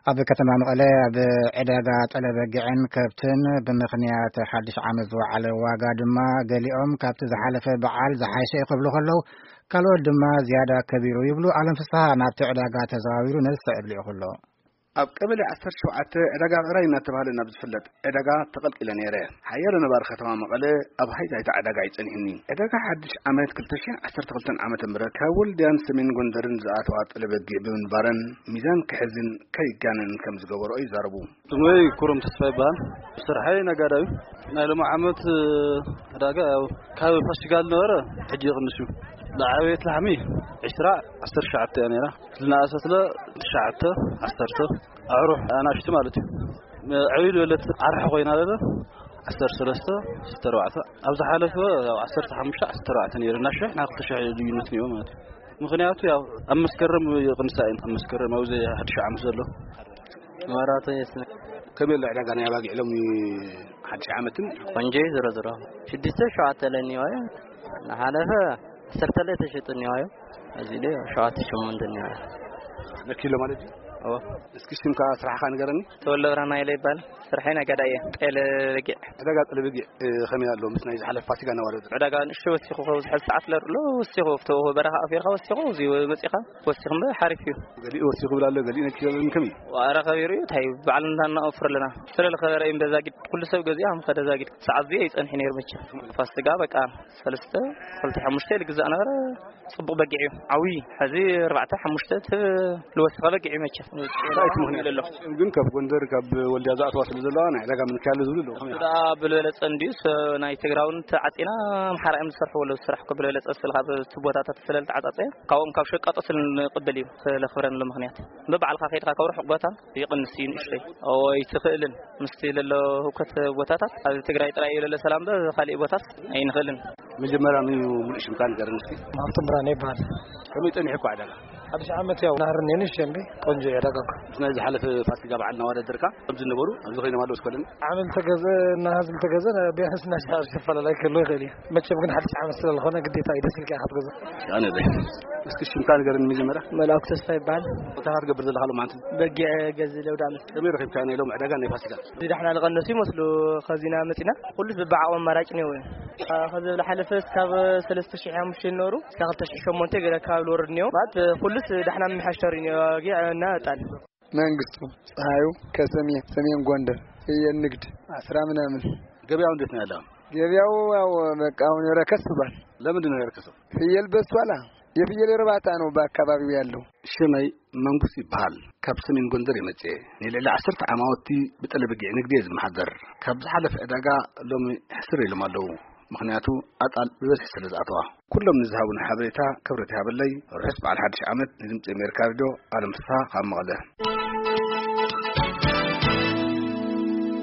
ኣብ ከተማ መቐለ ኣብ ዕዳጋ ጠለበጊዕን ከብትን ብምኽንያት ሓድሽ ዓመት ዝወዓለ ዋጋ ድማ፣ ገሊኦም ካብቲ ዝሓለፈ በዓል ዝሓሸ እዩ ክብሉ ከለዉ፣ ካልኦት ድማ ዝያዳ ከቢሩ ይብሉ። ኣለም ፍስሃ ናብቲ ዕዳጋ ተዘዋዊሩ ነዚ ስዕብ ልኢኹ ኣሎ። ኣብ ቀበሌ ዓሰርተ ሸውዓተ ዕዳጋ ዕራይ እናተባህለ ናብ ዝፍለጥ ዕዳጋ ተቐልቂለ ነይረ። ሓያሎ ነባሪ ከተማ መቐለ ኣብ ሃይታይታ ዕዳጋ እዩ ጸኒሑኒ። ዕዳጋ ሓድሽ ዓመት ክልተ ሽሕን ዓሰርተ ክልተን ዓመተ ምህረት ካብ ወልድያን ሰሜን ጎንደርን ዝኣተዋ ጠለበጊዕ ብምንባረን፣ ሚዛን ክሕዝን ከይጋነን ከም ዝገበርኦ ይዛረቡ። ስመይ ኩሩም ተስፋ ይበሃል። ስርሐይ ነጋዳዩ። ናይ ሎሚ ዓመት ዕዳጋ ያው ካብ ፋሲካ ዝነበረ ሕጂ ይቕንስ እዩ። ዝዓበየት ላሕሚ ዕስራ፣ ዓሰርተ ትሽዓተ እያ ነይራ። ዝነኣሰት ለ ትሽዓተ፣ ዓሰርተ፣ ኣዕሩኽ ኣናእሽቱ ማለት እዩ። ዕብይ ዝበለት ኣርሒ ኮይና ለለ ዓሰርተ ሰለስተ፣ ዓሰርተ ኣርባዕተ። ኣብ ዝሓለፈ ያው ዓሰርተ ሓሙሽተ፣ ዓሰርተ ኣርባዕተ ነይሩ። እና ሽሕ ናይ ክልተ ሽሕ ልዩነት ነይሩ ማለት እዩ። ምኽንያቱ ያው ኣብ መስከረም ይቕንሳ እየን። ኣብ መስከረም ኣብዚ ሓድሽ ዓመት ዘሎ። መብራህቱ የስነ። ከመይ ኣሎ ዕዳጋ ናይ ኣባጊዕ ሎሚ ሓድሽ ዓመትን? ቆንጆ እዩ። ዝሮ ዝሮ ሽዱሽተ ሸውዓተ ለኒዋዮ። ዝሓለፈ ዓሰርተ ላይ ተሸጡ እኒዋዮ። እዚ ላይ ሸውዓተ ሸሞንተ እኒዋዮ። ንኪሎ ማለት እዩ? ኦ። እስኪ ሽምካ ስራሕካ ንገረኒ። ተወልደ ብርሃን ሃይለ ይባል። ስርሐይ ነጋዳይ እየ። ጤለ በጊዕ። ዕዳጋ ጤለ በጊዕ፣ እ፣ ከመይ ኣሎ ምስ ናይ ዝሓለፈ ፋሲካ እናወዳደርካ? ዕዳጋ ንእሽቶ ወሲኹ፣ ካብ ዝሕል ሰዓት ለርሎ ወሲኹ፣ ኣብቲ በረኻ ኣፊርካ ወሲኹ፣ እዚ መጺኻ ወሲኹ እምበር ሓሪፍ እዩ። ገሊኡ ወሲኹ ይብል ኣሎ፣ ገሊኡ ነኪ ይብል ከመይ? ዋረ ከቢሩ እዩ፣ እንታይ በዓል እንዳ እናወፍር ኣለና። ስለ ዝኸበረ እዩ በዛ ጊድ፣ ኩሉ ሰብ ገዚኣ፣ ከም ከደ ዛ ጊድ። ሰዓት እዚ ኣይጸንሕ ነይሩ መቸም። ፋሲካ በቃ ሰለስተ፣ ክልተ፣ ሓሙሽተ ልግዛእ ነበረ። ጽቡቕ በጊዕ እዩ። ዓብዪ፣ ሕዚ ኣርባዕተ፣ ሓሙሽተ ትብ-፣ ልወስኸ በጊዕ እዩ መቸም። እንታይ እቲ ምኽንያት? ግን ካብ ጎንደር፣ ካብ ወልድያ ዝኣተዋ ስለ ዘለዋ፣ ናይ ዕዳጋ ምንካይ ኣሎ ዝብሉ ኣለዉ። ከመይ? ደኣ ብልበለጸ እንድዩ፣ ስ-፣ ናይ ትግራይ እውን ተዓጺና፣ ኣምሓራ እዮም ዝሰርሕዎ ኣለዉ ስራሕ እኮ። ብልበለጸ ስለ ካብ እቲ ቦታታት ስለ ዝተዓጻጸየ፣ ካብኦም ካብ ሸቃጦ ስለ ንቕበል እዩ፣ ስለ ክብረን ኣሎ ምኽንያት። በባዕልኻ ከይድካ ካብ ርሑቕ ቦታ ይቕንስ እዩ ንእሽተይ። እዎ፣ ኣይትኽእልን። ምስቲ ለሎ ህውከት ቦታታት ኣብ ትግራይ ጥራይ እዩ ለሎ ሰላም፣ በ-፣ ካሊእ ቦታት ኣይንኽእልን። መጀመርያ ንዩ ሙሉእ ሽምካ ንገረኒ እስኪ። ሃብቶም ብርሃነ ይበሃል። ከመይ ጸኒሑ እኳ ዕዳጋ? ሓድሽ ዓመት ያው ናህር እኒአን እሸ እምቢ ቆንጆ እዩ ዕዳጋ እኮ። ምስ ናይ ዝሓለፈ ፋሲካ በዓል እናወዳደርካ ከምዚ ነበሩ ኣብዚ ኮይኖም ኣለዉ እስኮለን? ዓመል ተገዘ እና ህዝቢ ተገዘ ቢያንስ እና ሽሓ ዝፈላለ ክህሉ ይኽእል እዩ። መቸም ግን ሓድሽ ዓመት ስለ ዝኾነ ግዴታ እዩ ደስ ኢልካ ኢኻ ትገዝእ። ኣነ በይ። እስኪ ሽምካ ንገረኒ መጀመርያ። መልኣኩ ተስፋ ይበሃል። እንታይ ኢኻ ትገብር ዘለኻ ሎማዓንቲ? በጊዕ ገዝእ ለውዳመት። ከመይ ረኺብካ ናይ ሎም ዕዳጋ ናይ ፋሲካ? እዚ ዳሕና ዝቐነሱ ይመስሉ። ከዚና መጺና ኩሉስ ብብዓቕሚ ኣማራጭ እኒኦ እዩ። ከዚ ዝሓለፈ እስካብ ሰለስተ ሽሕ ሓሙሽተ ዝነበሩ እስካብ ክልተ ሽሕ ሸሞንተ ገለ ኣካባቢ ዝወርድ እኒኦ። ማለት ኩሉስ ዳሕና ምምሕያሽ ተሪኡ እኒኦ። በጊዕ እና ዕጣን። መንግስቱ ፀሐዩ ከሰሜን፣ ሰሜን ጎንደር ፍየል ንግድ አስራ ምናምን። ገበያው እንዴት ነው ያለው? ገበያው ያው በቃ አሁን ረከስ ብሏል። ለምንድን ነው የረከሰው? ፍየል በዝቷላ። የፍየል እርባታ ነው በአካባቢው ያለው። ሽመይ መንጉስ ይበሃል። ካብ ሰሜን ጎንደር የመጽኤ። ንልዕሊ ዓሰርተ ዓማውቲ ብጠለበጊዕ ንግዲ እየ ዝመሓደር። ካብ ዝሓለፈ ዕዳጋ ሎሚ ሕስር ኢሎም ኣለዉ። ምኽንያቱ ኣጣል ብበዝሒ ስለ ዝኣተዋ። ኩሎም ንዝሃቡን ሓበሬታ ክብረት ይሃበለይ። ርሑስ በዓል ሓድሽ ዓመት። ንድምፂ ኣሜሪካ ሬድዮ ኣለም ፍስሃ ካብ መቐለ።